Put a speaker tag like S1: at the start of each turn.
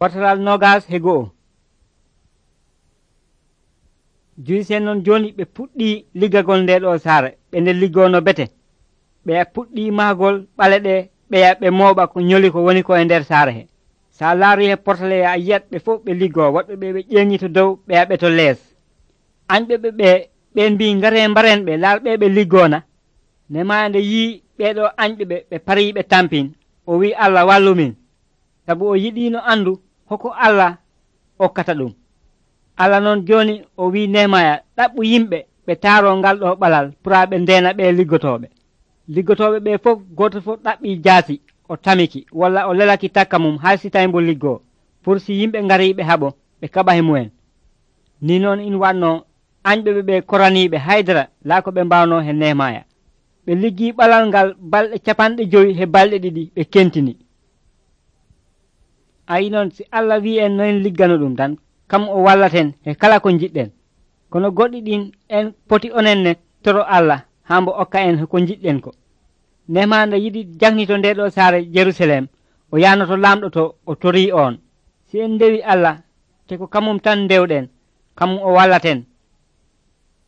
S1: Fotaral nogas he go'o. Juyisen non joni ɓe puɗɗi liggagol nde ɗo saare ɓe nde liggono bete ɓe puɗɗi mahgol ɓale ɗe ɓeya ɓe mooɓa ko nyoli ko woni ko e nder saare he. Sa laari he portale a yiyat ɓe fof ɓe liggo woɗɓe ɓe ɓe ƴeŋi to dow ɓe yaɓe to lees. Anɓe ɓe ɓen mbi ngare mbaren ɓe laal ɓe ɓe liggona. Nehemaya nde yii ɓeɗo anɓe ɓe pari ɓe tampin o wi Allah wallumin, sabu o yiɗino andu hoko Allah okkata ɗum. Allah noon joni o wi Nehemaya ɗaɓɓu yimɓe ɓe taaro ngal ɗo ɓalal pura ɓe ndena ɓe liggotoɓe ɓe fof goto fof ɗaɓɓi jaasi o tamiki walla o lelaki takka mum hay si tawi mbo liggo pour si yimɓe ngari ɓe haɓo ɓe kaɓa he mumen. Ni noon in wanno anɓe ɓe koraniɓe haydara laa ko ɓe mbawno he Nehemaya. Ɓe liggi ɓalal ngal balɗe 50 he balɗe ɗiɗi ɓe kentini. Ayi noon si Allah wi en noyen liggano ɗum tan kam o wallaten he kala ko jiɗɗen, kono goɗɗi ɗin en poti onenne toro Allah hambo okka en ko jiɗɗen ko. Nehemaya nde yiɗi jangnito nde ɗo saare Jerusalem o yanoto lamɗo to o tori on. Si en ndewi Allah te ko kamum tan ndewɗen kamum o wallaten